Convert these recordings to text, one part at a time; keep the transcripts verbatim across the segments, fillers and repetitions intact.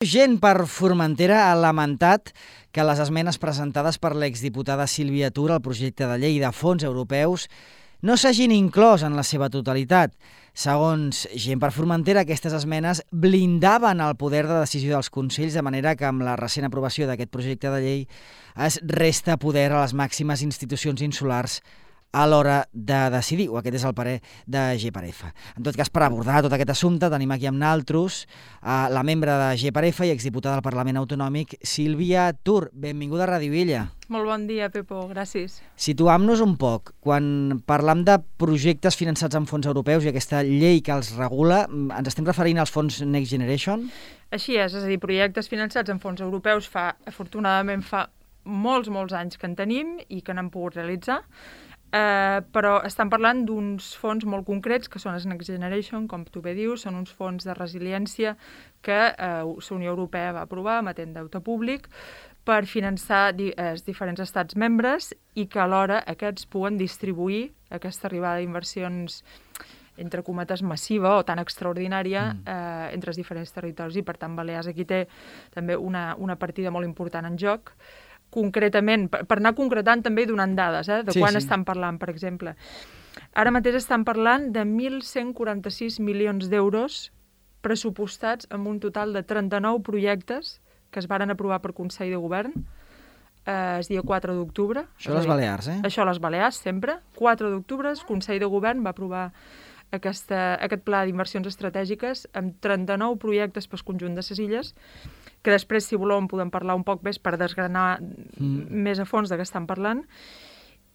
Gent per Formentera ha lamentat que les esmenes presentades per l'exdiputada Sílvia Tur al projecte de llei de fons europeus no s'hagin inclòs en la seva totalitat. Segons Gent per Formentera, aquestes esmenes blindaven el poder de decisió dels consells, de manera que amb la recent aprovació d'aquest projecte de llei es resta poder a les màximes institucions insulars a l'hora de decidir, o aquest és el parer de G per F. En tot cas, per abordar tot aquest assumpte, tenim aquí amb naltros eh, la membre de G per F i exdiputada del Parlament Autonòmic, Sílvia Tur. Benvinguda a Ràdio Illa. Molt bon dia, Pepo, gràcies. Situam-nos un poc. Quan parlam de projectes finançats amb fons europeus i aquesta llei que els regula, ens estem referint als fons Next Generation? Així és, és a dir, projectes finançats amb fons europeus fa, afortunadament, fa molts, molts anys que en tenim i que n'hem pogut realitzar. Uh, però estan parlant d'uns fons molt concrets que són els Next Generation, com tu bé dius, són uns fons de resiliència que uh, la Unió Europea va aprovar emetent deute públic per finançar di els diferents estats membres i que alhora aquests puguen distribuir aquesta arribada d'inversions entre cometes massiva o tan extraordinària mm. eh, entre els diferents territoris, i per tant Balears aquí té també una, una partida molt important en joc. Concretament, per, per anar concretant també donant dades, eh, de sí, quan sí. estan parlant, per exemple. Ara mateix estan parlant de mil cent quaranta-sis milions d'euros pressupostats amb un total de trenta-nou projectes que es varen aprovar per Consell de Govern eh, el dia quatre d'octubre. Això a les Balears, eh? Això a les Balears, sempre. quatre d'octubre, el Consell de Govern va aprovar aquesta, aquest pla d'inversions estratègiques amb trenta-nou projectes pel conjunt de les illes, que després, si voleu, en podem parlar un poc més per desgranar mm. més a fons de què estan parlant.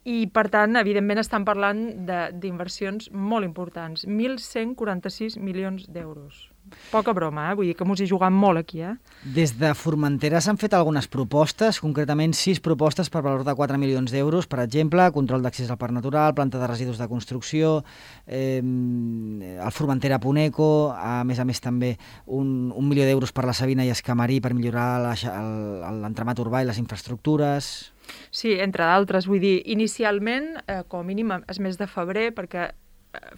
I, per tant, evidentment, estan parlant d'inversions molt importants. mil cent quaranta-sis milions d'euros. Poca broma, eh? Vull dir que mos hi jugam molt aquí, eh? Des de Formentera s'han fet algunes propostes, concretament sis propostes per valor de quatre milions d'euros, per exemple, control d'accés al parc natural, planta de residus de construcció, eh, el Formentera Puneco, a més a més també un, un milió d'euros per la Sabina i Escamarí per millorar l'entramat urbà i les infraestructures. Sí, entre d'altres. Vull dir, inicialment, eh, com a mínim, és mes de febrer, perquè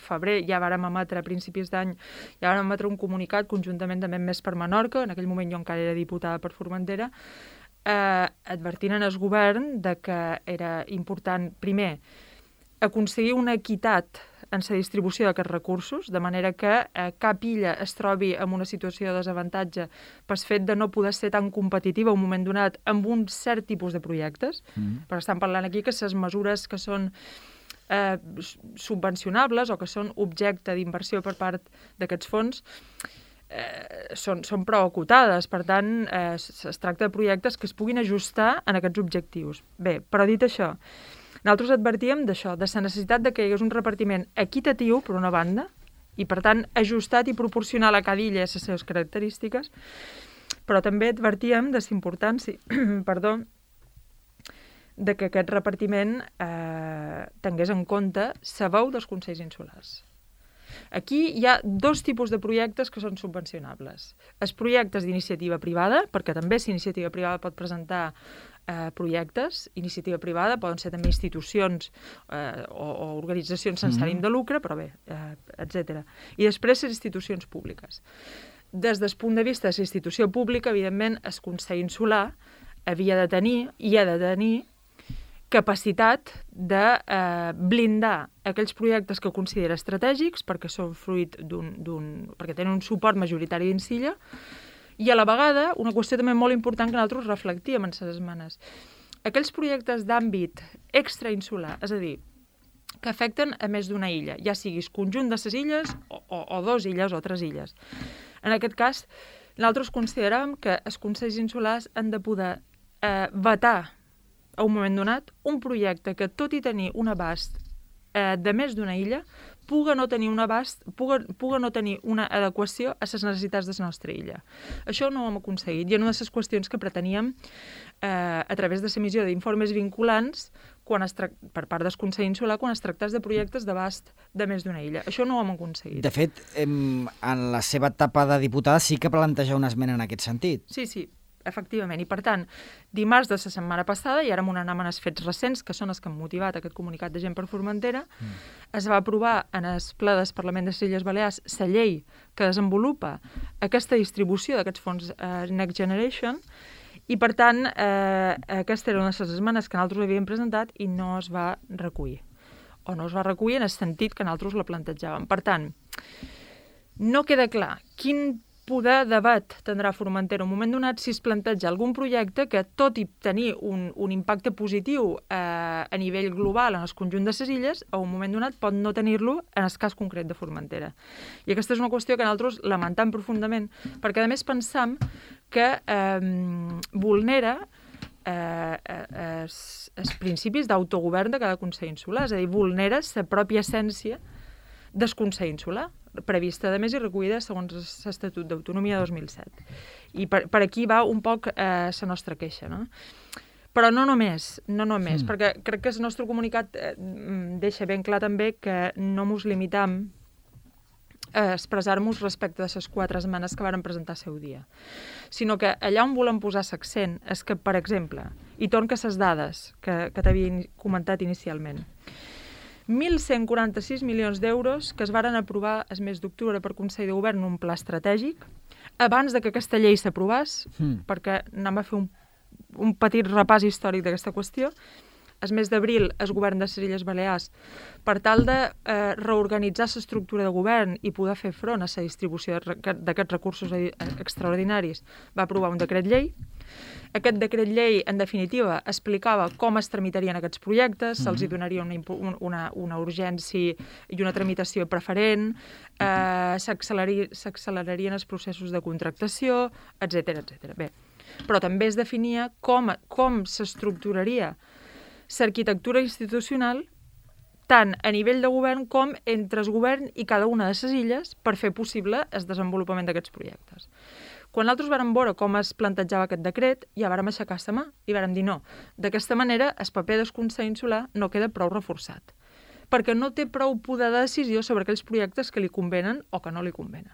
febrer ja vàrem emetre, a principis d'any, ja vàrem emetre un comunicat conjuntament també més per Menorca, en aquell moment jo encara era diputada per Formentera, eh, advertint en el govern de que era important, primer, aconseguir una equitat en la distribució d'aquests recursos, de manera que eh, cap illa es trobi en una situació de desavantatge pel fet de no poder ser tan competitiva en un moment donat amb un cert tipus de projectes. Mm. Però estan parlant aquí que les mesures que són Eh, subvencionables o que són objecte d'inversió per part d'aquests fons eh, són, són prou acotades. Per tant, eh, es tracta de projectes que es puguin ajustar en aquests objectius. Bé, però dit això, nosaltres advertíem d'això, de la necessitat de que hi hagués un repartiment equitatiu, per una banda, i per tant ajustat i proporcional a cada illa a les seves característiques, però també advertíem de la importància, perdó, de que aquest repartiment eh, tingués en compte la veu dels consells insulars. Aquí hi ha dos tipus de projectes que són subvencionables. Els projectes d'iniciativa privada, perquè també si iniciativa privada pot presentar eh, projectes, iniciativa privada poden ser també institucions eh, o, o organitzacions sense ànim de lucre, però bé, eh, etcètera. I després les institucions públiques. Des del punt de vista de la institució pública, evidentment, el Consell Insular havia de tenir, i ha de tenir, capacitat de eh, blindar aquells projectes que considera estratègics perquè són fruit d'un... perquè tenen un suport majoritari dins l'illa, i a la vegada, una qüestió també molt important que nosaltres reflectíem en les esmenes, aquells projectes d'àmbit extrainsular, és a dir, que afecten a més d'una illa, ja siguis conjunt de les illes o, o, o dos illes o tres illes. En aquest cas, nosaltres consideràvem que els consells insulars han de poder eh, vetar a un moment donat, un projecte que, tot i tenir un abast eh, de més d'una illa, puga no tenir un abast, puga, puga no tenir una adequació a les necessitats de la nostra illa. Això no ho hem aconseguit, i una de les qüestions que preteníem eh, a través de l'emissió d'informes vinculants quan es tra... per part del Consell Insular quan es tractés de projectes d'abast de més d'una illa. Això no ho hem aconseguit. De fet, em, en la seva etapa de diputada sí que planteja una esmena en aquest sentit. Sí, sí. efectivament. I, per tant, dimarts de la setmana passada, i ara amb una anàmena als fets recents, que són els que han motivat aquest comunicat de Gent per Formentera, mm. es va aprovar en el ple del Parlament de les Illes Balears la llei que desenvolupa aquesta distribució d'aquests fons eh, Next Generation, i, per tant, eh, aquesta era una de les esmenes que nosaltres havíem presentat i no es va recollir. O no es va recollir en el sentit que nosaltres la plantejàvem. Per tant, no queda clar quin poder debat tindrà Formentera en un moment donat si es planteja algun projecte que, tot i tenir un, un impacte positiu eh, a nivell global en el conjunt de les illes, a un moment donat pot no tenir-lo en el cas concret de Formentera. I aquesta és una qüestió que nosaltres lamentam profundament, perquè a més pensam que eh, vulnera eh, eh, els, els principis d'autogovern de cada Consell Insular, és a dir, vulnera la pròpia essència del Consell Insular, prevista, a més, i recollida segons l'Estatut d'Autonomia dos mil set. I per, per aquí va un poc la eh, nostra queixa, no? Però no només, no només, mm. perquè crec que el nostre comunicat eh, deixa ben clar també que no mos limitam a expressar-nos respecte de les quatre esmenes que varen presentar al seu dia, sinó que allà on volem posar l'accent és que, per exemple, i torn que les dades que, que t'havia comentat inicialment, mil cent quaranta-sis milions d'euros que es varen aprovar el mes d'octubre per Consell de Govern en un pla estratègic, abans de que aquesta llei s'aprovés, mm. perquè anem a fer un, un petit repàs històric d'aquesta qüestió. El mes d'abril, el govern de les Illes Balears, per tal de eh, reorganitzar l'estructura de govern i poder fer front a la distribució d'aquests recursos extraordinaris, va aprovar un decret llei. Aquest decret llei, en definitiva, explicava com es tramitarien aquests projectes, se'ls hi donaria una, una, una urgència i una tramitació preferent, eh, s'accelerarien els processos de contractació, etcètera, etcètera. Bé, però també es definia com, com s'estructuraria l'arquitectura institucional tant a nivell de govern com entre el govern i cada una de les illes per fer possible el desenvolupament d'aquests projectes. Quan nosaltres vàrem veure com es plantejava aquest decret, ja vàrem aixecar la mà i vàrem dir no. D'aquesta manera, el paper del Consell Insular no queda prou reforçat, perquè no té prou poder de decisió sobre aquells projectes que li convenen o que no li convenen.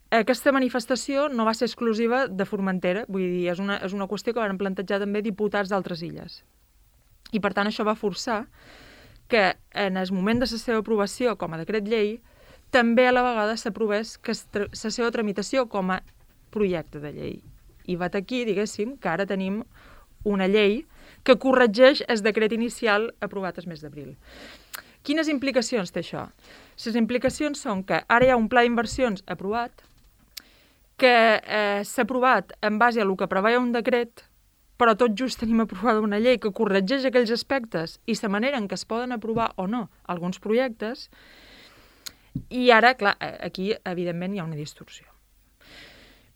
Aquesta manifestació no va ser exclusiva de Formentera, vull dir, és una, és una qüestió que van plantejar també diputats d'altres illes. I, per tant, això va forçar que en el moment de la seva aprovació com a decret llei, també a la vegada s'aprovés la seva tramitació com a projecte de llei. I va aquí, diguéssim, que ara tenim una llei que corregeix el decret inicial aprovat el mes d'abril. Quines implicacions té això? Les implicacions són que ara hi ha un pla d'inversions aprovat, que eh, s'ha aprovat en base a el que preveia un decret, però tot just tenim aprovada una llei que corregeix aquells aspectes i la manera en què es poden aprovar o no alguns projectes, i ara, clar, aquí, evidentment, hi ha una distorsió.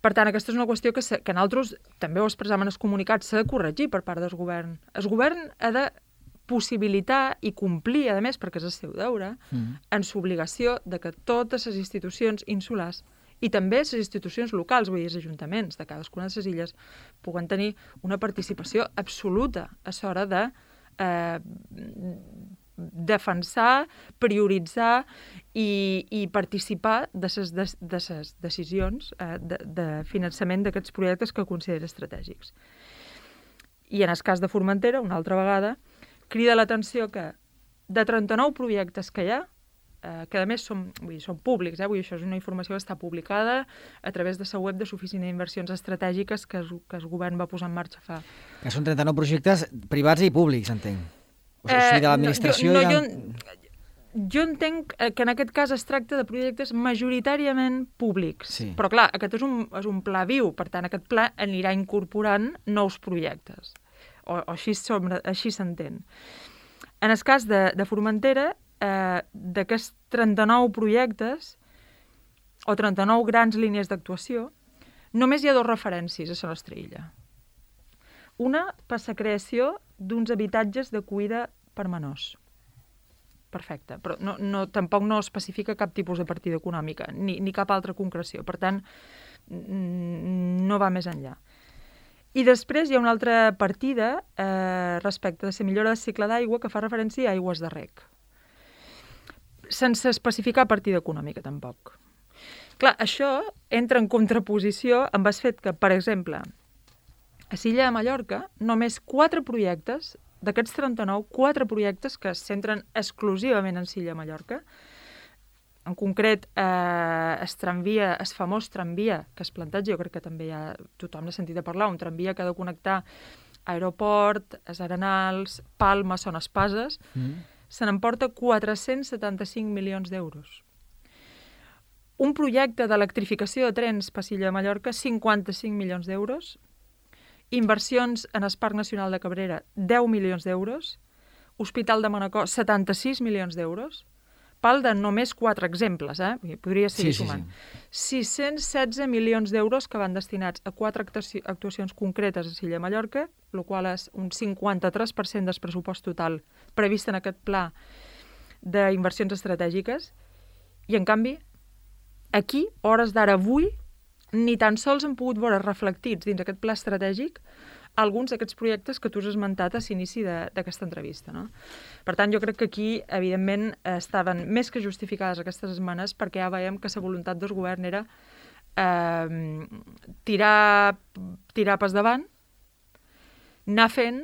Per tant, aquesta és una qüestió que, que nosaltres també ho expressàvem en els comunicats, s'ha de corregir per part del govern. El govern ha de possibilitar i complir, a més, perquè és el seu deure, mm. en l'obligació de que totes les institucions insulars i també les institucions locals, vull dir, els ajuntaments de cadascuna de les illes, puguen tenir una participació absoluta a l'hora de eh, defensar, prioritzar i, i participar de les de, de ses decisions eh, de, de finançament d'aquests projectes que considera estratègics. I en el cas de Formentera, una altra vegada, crida l'atenció que de trenta-nou projectes que hi ha, eh, que a més són, vull dir, són públics, eh? Vull dir, això és una informació que està publicada a través de la web de l'Oficina d'Inversions Estratègiques que el, que el govern va posar en marxa fa. Que són trenta-nou projectes privats i públics, entenc. O sigui, de l'administració... Eh, no, jo, no, jo entenc que en aquest cas es tracta de projectes majoritàriament públics. Sí. Però clar, aquest és un, és un pla viu, per tant aquest pla anirà incorporant nous projectes. O, o així, així s'entén. En el cas de, de Formentera, eh, d'aquests trenta-nou projectes, o trenta-nou grans línies d'actuació, només hi ha dues referències a la nostra illa. Una per la creació d'uns habitatges d'acollida per menors. Perfecte, però no, no, tampoc no especifica cap tipus de partida econòmica, ni, ni cap altra concreció. Per tant, no va més enllà. I després hi ha una altra partida eh, respecte de la millora del cicle d'aigua que fa referència a aigües de reg. Sense especificar partida econòmica, tampoc. Clar, això entra en contraposició amb el fet que, per exemple, a Silla de Mallorca, només quatre projectes, d'aquests trenta-nou, quatre projectes que es centren exclusivament en Silla de Mallorca. En concret, eh, es tramvia, es famós tramvia que es planteja, jo crec que també ja tothom n'ha sentit a parlar, un tramvia que ha de connectar Aeroport, els Arenals, Palma, Son Espases, mm. se n'emporta quatre-cents setanta-cinc milions d'euros. Un projecte d'electrificació de trens per Silla de Mallorca, cinquanta-cinc milions d'euros. Inversions en el Parc Nacional de Cabrera, deu milions d'euros. Hospital de Manacor, setanta-sis milions d'euros. Pal de només quatre exemples, eh? Podria seguir sí, sumant. Sí, sí. sis-cents setze milions d'euros que van destinats a quatre actuacions concretes a Silla de Mallorca, el qual és un cinquanta-tres per cent del pressupost total previst en aquest pla d'inversions estratègiques. I, en canvi, aquí, hores d'ara avui, ni tan sols han pogut veure reflectits dins aquest pla estratègic alguns d'aquests projectes que tu has esmentat a l'inici d'aquesta entrevista. No? Per tant, jo crec que aquí, evidentment, estaven més que justificades aquestes esmenes perquè ja veiem que la voluntat del govern era eh, tirar, tirar pas davant, anar fent,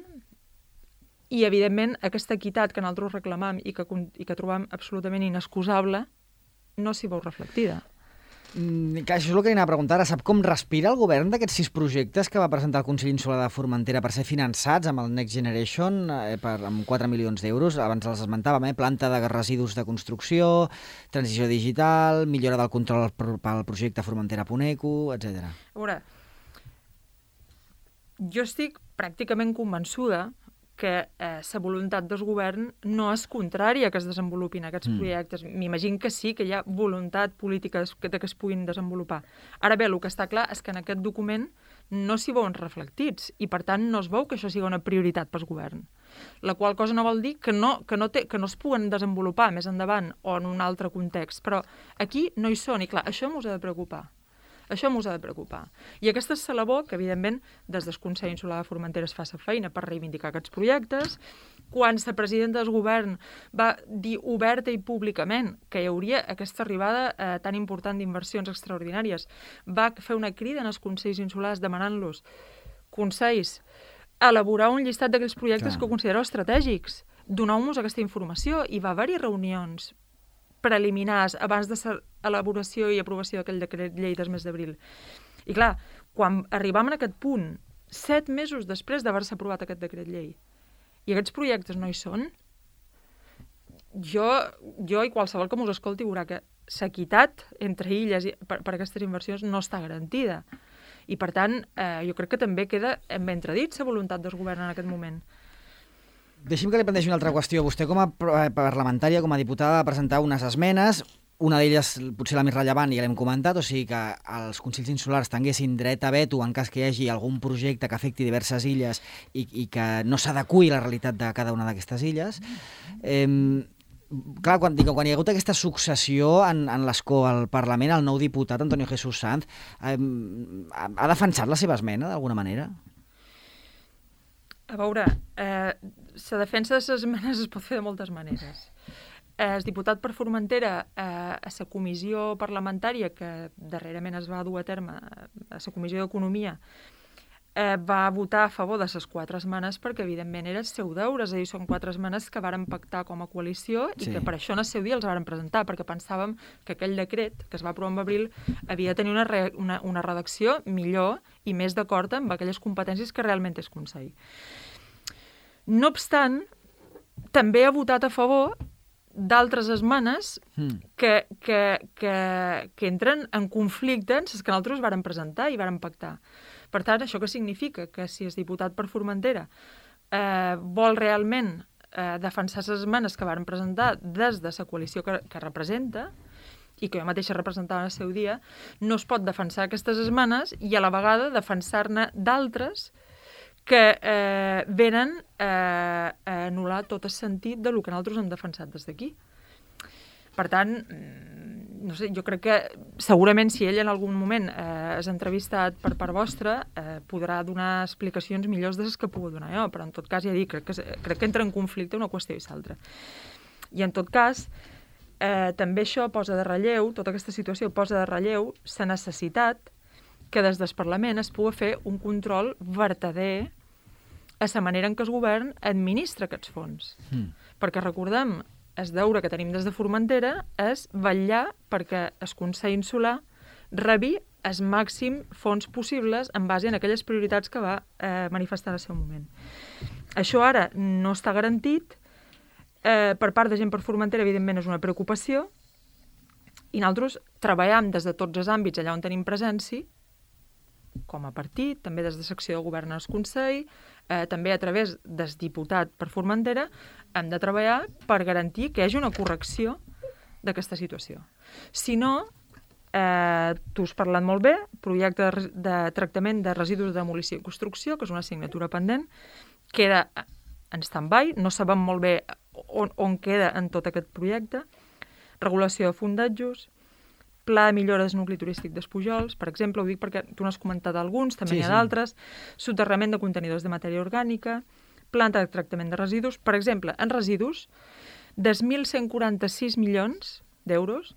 i, evidentment, aquesta equitat que nosaltres reclamam i que, i que trobam absolutament inexcusable no s'hi veu reflectida. Mm, això és el que anava a preguntar. Sap com respira el govern d'aquests sis projectes que va presentar el Consell Insular de Formentera per ser finançats amb el Next Generation eh, per, amb quatre milions d'euros? Abans els esmentàvem, eh? Planta de residus de construcció, transició digital, millora del control pel projecte Formentera-Puneco, etcètera. A veure, jo estic pràcticament convençuda que la eh, voluntat del govern no és contrària que es desenvolupin aquests mm. projectes. M'imagino que sí, que hi ha voluntat política que, que es puguin desenvolupar. Ara bé, el que està clar és que en aquest document no s'hi veuen reflectits i, per tant, no es veu que això sigui una prioritat pel govern. La qual cosa no vol dir que no, que no, té, que no es puguen desenvolupar més endavant o en un altre context, però aquí no hi són i, clar, això m'us ha de preocupar. Això m'us ha de preocupar. I aquesta és la labor que, evidentment, des del Consell Insular de Formentera es fa la feina per reivindicar aquests projectes. Quan la presidenta del govern va dir oberta i públicament que hi hauria aquesta arribada eh, tan important d'inversions extraordinàries, va fer una crida en els Consells Insulars demanant-los consells a elaborar un llistat d'aquells projectes Clar. que considereu estratègics. Doneu-nos aquesta informació i va haver-hi reunions preliminars abans de l'elaboració i aprovació d'aquell decret llei del mes d'abril. I clar, quan arribam a aquest punt, set mesos després d'haver-se aprovat aquest decret llei, i aquests projectes no hi són, jo, jo i qualsevol que m'us escolti veurà que l'equitat entre illes per, per aquestes inversions no està garantida. I per tant, eh, jo crec que també queda en entredit la voluntat del govern en aquest moment. Deixi'm que li plantegi una altra qüestió. Vostè, com a parlamentària, com a diputada, va presentar unes esmenes, una d'elles potser la més rellevant, i ja l'hem comentat, o sigui que els Consells Insulars tinguessin dret a veto en cas que hi hagi algun projecte que afecti diverses illes i, i que no s'adeqüi a la realitat de cada una d'aquestes illes. Eh, clar, quan, dic, quan hi ha hagut aquesta successió en, en l'escó al Parlament, el nou diputat, Antonio Jesús Sanz, eh, ha defensat la seva esmena, d'alguna manera? A veure, eh, la defensa de les esmenes es pot fer de moltes maneres. Eh, el diputat per Formentera, eh, a la comissió parlamentària que darrerament es va dur a terme, a la comissió d'Economia, eh, va votar a favor de les quatre esmenes perquè, evidentment, era el seu deure. És a dir, són quatre esmenes que varen pactar com a coalició i sí. que per això en el seu dia els varen presentar, perquè pensàvem que aquell decret que es va aprovar en abril havia de tenir una, re, una, una redacció millor i més d'acord amb aquelles competències que realment és Consell. No obstant, també ha votat a favor d'altres esmenes mm. que, que, que, que entren en conflicte amb les que nosaltres varen presentar i varen pactar. Per tant, això què significa? Que si el diputat per Formentera eh, vol realment eh, defensar les esmenes que varen presentar des de la coalició que, que representa, i que jo mateixa representava en el seu dia, no es pot defensar aquestes esmenes i a la vegada defensar-ne d'altres que eh, venen eh, a anul·lar tot el sentit del que nosaltres hem defensat des d'aquí. Per tant, no sé, jo crec que segurament si ell en algun moment eh, és entrevistat per part vostra, eh, podrà donar explicacions millors de les que puc donar jo, però en tot cas ja dic, crec que, crec que entra en conflicte una qüestió i l'altra. I en tot cas, eh, també això posa de relleu, tota aquesta situació posa de relleu la necessitat que des del Parlament es pugui fer un control vertader a la manera en què el govern administra aquests fons. Mm. Perquè recordem, el deure que tenim des de Formentera és vetllar perquè el Consell Insular rebi el màxim fons possibles en base a aquelles prioritats que va eh, manifestar en el seu moment. Això ara no està garantit. Eh, per part de gent per Formentera, evidentment, és una preocupació, i nosaltres treballem des de tots els àmbits allà on tenim presència, com a partit, també des de secció de govern al Consell, eh, també a través del diputat per Formentera, hem de treballar per garantir que hi hagi una correcció d'aquesta situació. Si no, eh, tu has parlat molt bé, projecte de, de tractament de residus de demolició i construcció, que és una assignatura pendent, queda en stand-by, no sabem molt bé on, on queda en tot aquest projecte, regulació de fondatjos, pla de millora del nucli turístic d'Espujols, per exemple, ho dic perquè tu n'has comentat alguns, també sí, n'hi ha sí. d'altres, soterrament de contenidors de matèria orgànica, planta de tractament de residus. Per exemple, en residus, dels mil cent quaranta-sis milions d'euros,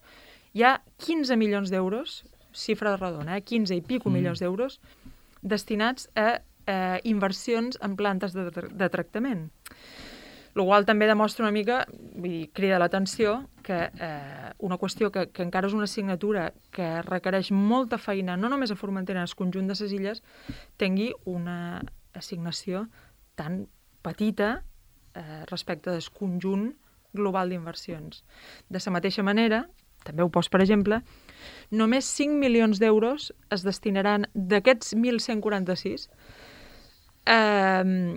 hi ha quinze milions d'euros, xifra de redona, eh? quinze i pico mm. milions d'euros, destinats a eh, inversions en plantes de, de tractament. El qual també demostra una mica, vull dir, crida l'atenció, que eh, una qüestió que, que encara és una assignatura que requereix molta feina, no només a Formentera, en el conjunt de les illes, tingui una assignació tan petita eh, respecte del conjunt global d'inversions. De la mateixa manera, també ho poso per exemple, només cinc milions d'euros es destinaran d'aquests mil cent quaranta-sis eh,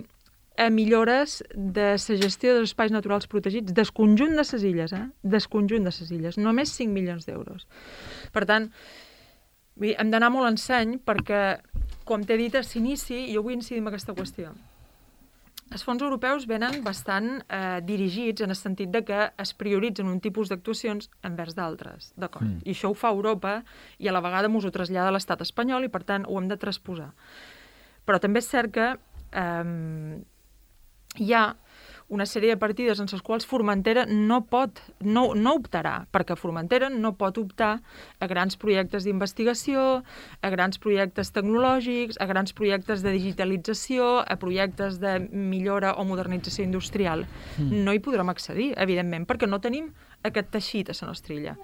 a millores de la gestió dels espais naturals protegits del conjunt de les illes, eh? del conjunt de les illes. Només cinc milions d'euros. Per tant, hem d'anar molt en seny perquè, com t'he dit a l'inici, jo vull incidir en aquesta qüestió. Els fons europeus venen bastant eh, dirigits en el sentit de que es prioritzen un tipus d'actuacions envers d'altres, d'acord? Mm. I això ho fa Europa i a la vegada mos ho trasllada a l'estat espanyol i, per tant, ho hem de transposar. Però també és cert que eh, hi ha una sèrie de partides en les quals Formentera no pot, no, no optarà, perquè Formentera no pot optar a grans projectes d'investigació, a grans projectes tecnològics, a grans projectes de digitalització, a projectes de millora o modernització industrial. Mm. No hi podrem accedir, evidentment, perquè no tenim aquest teixit a la nostra illa.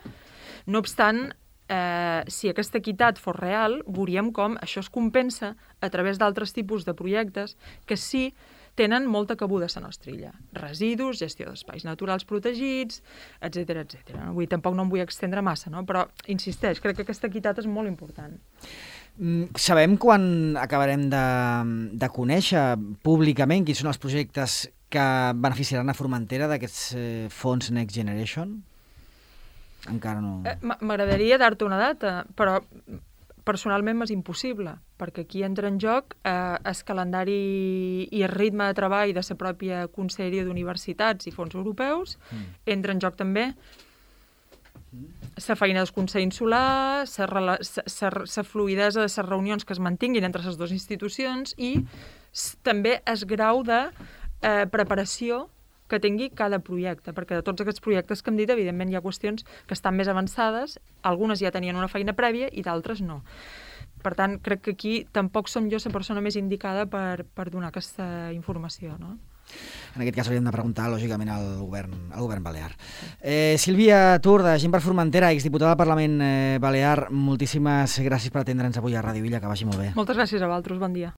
No obstant, eh, si aquesta equitat fos real, veuríem com això es compensa a través d'altres tipus de projectes que sí tenen molta cabuda a la nostra illa. Residus, gestió d'espais naturals protegits, etcètera, etcètera. Vull dir, tampoc no em vull extendre massa, no? Però, insisteix, crec que aquesta equitat és molt important. Mm, sabem quan acabarem de, de conèixer públicament quins són els projectes que beneficiaran a Formentera d'aquests eh, fons Next Generation? Encara no... Eh, M'agradaria dar-te una data, però personalment m'és impossible, perquè aquí entra en joc eh, el calendari i el ritme de treball de la pròpia Conselleria d'Universitats i Fons Europeus, mm. entra en joc també la feina del Consell Insular, la fluïdesa de les reunions que es mantinguin entre les dues institucions i també el grau de eh, preparació que tingui cada projecte, perquè de tots aquests projectes que hem dit, evidentment hi ha qüestions que estan més avançades, algunes ja tenien una feina prèvia i d'altres no. Per tant, crec que aquí tampoc som jo la persona més indicada per, per donar aquesta informació, no? En aquest cas hauríem de preguntar, lògicament, al govern, al govern balear. Eh, Sílvia Tur, de Gent per Formentera, exdiputada del Parlament eh, Balear, moltíssimes gràcies per atendre'ns avui a Ràdio Illa, que vagi molt bé. Moltes gràcies a vosaltres, bon dia.